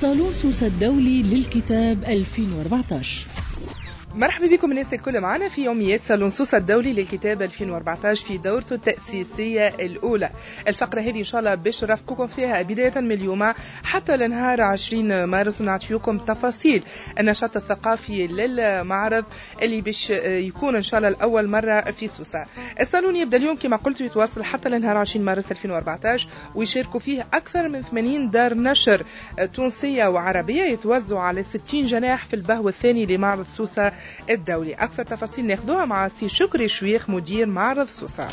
صالون سوسة الدولي للكتاب 2014. مرحبا بكم الناس الكل معنا في يوميات صالون سوسة الدولي للكتاب 2014 في دورته التأسيسية الأولى. الفقرة هذه إن شاء الله باش نرافقكم فيها بداية من اليوم حتى لنهار 20 مارس، ونعطيكم تفاصيل النشاط الثقافي للمعرض اللي باش يكون إن شاء الله الأول مرة في سوسة. الصالون يبدأ اليوم كما قلت ويتواصل حتى لنهار 20 مارس 2014، ويشاركوا فيه أكثر من 80 دار نشر تونسية وعربية يتوزعوا على 60 جناح في البهو الثاني لمعرض سوسة الدولي. أكثر تفاصيل ناخذوها مع سي شكري شويخ مدير معرض سوسة.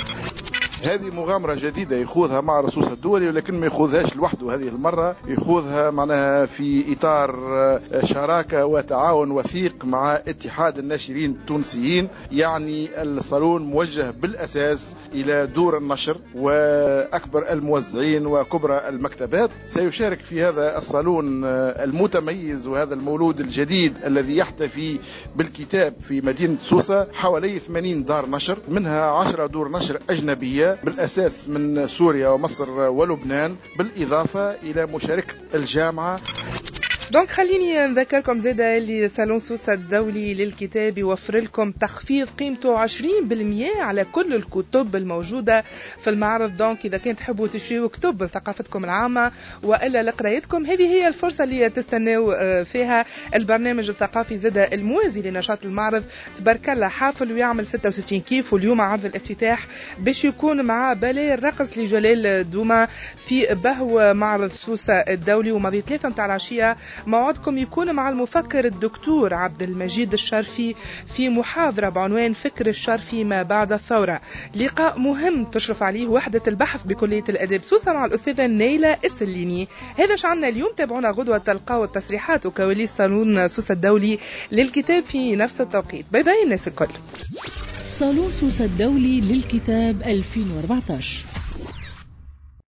هذه مغامرة جديدة يخوضها معرض سوسة الدولي، ولكن ما يخوضهاش لوحده. هذه المرة يخوضها معناها في إطار شراكة وتعاون وثيق مع اتحاد الناشرين التونسيين. يعني الصالون موجه بالأساس إلى دور النشر وأكبر الموزعين وكبرى المكتبات. سيشارك في هذا الصالون المتميز وهذا المولود الجديد الذي يحتفي بالكتاب في مدينة سوسة حوالي 80 دار نشر، منها 10 دور نشر أجنبية بالأساس من سوريا ومصر ولبنان، بالإضافة إلى مشاركة الجامعة. donc خليني نذكركم زاده اللي صالون سوسة الدولي للكتاب يوفر لكم تخفيض قيمته 20% على كل الكتب الموجودة في المعرض. donc إذا كنت تحبوا تشريوا كتب لثقافتكم العامة وإلا لقرايتكم، هذه هي الفرصة اللي تستناو فيها. البرنامج الثقافي زاده الموازي لنشاط المعرض تبارك الله حافل ويعمل 66 كيف. واليوم عرض الافتتاح باش يكون مع باليه الرقص لجلال دوما في بهو معرض سوسة الدولي، وماضي 3 متاع العشية موعدكم يكون مع المفكر الدكتور عبد المجيد الشرفي في محاضرة بعنوان فكر الشرفي ما بعد الثورة. لقاء مهم تشرف عليه وحدة البحث بكلية الأداب سوسة مع الأستاذة نيلة السليني. هذا شعنا اليوم، تابعونا غدوة تلقاو التصريحات وكواليس صالون سوسة الدولي للكتاب في نفس التوقيت. bye bye الناس الكل. صالون سوسة الدولي للكتاب 2014.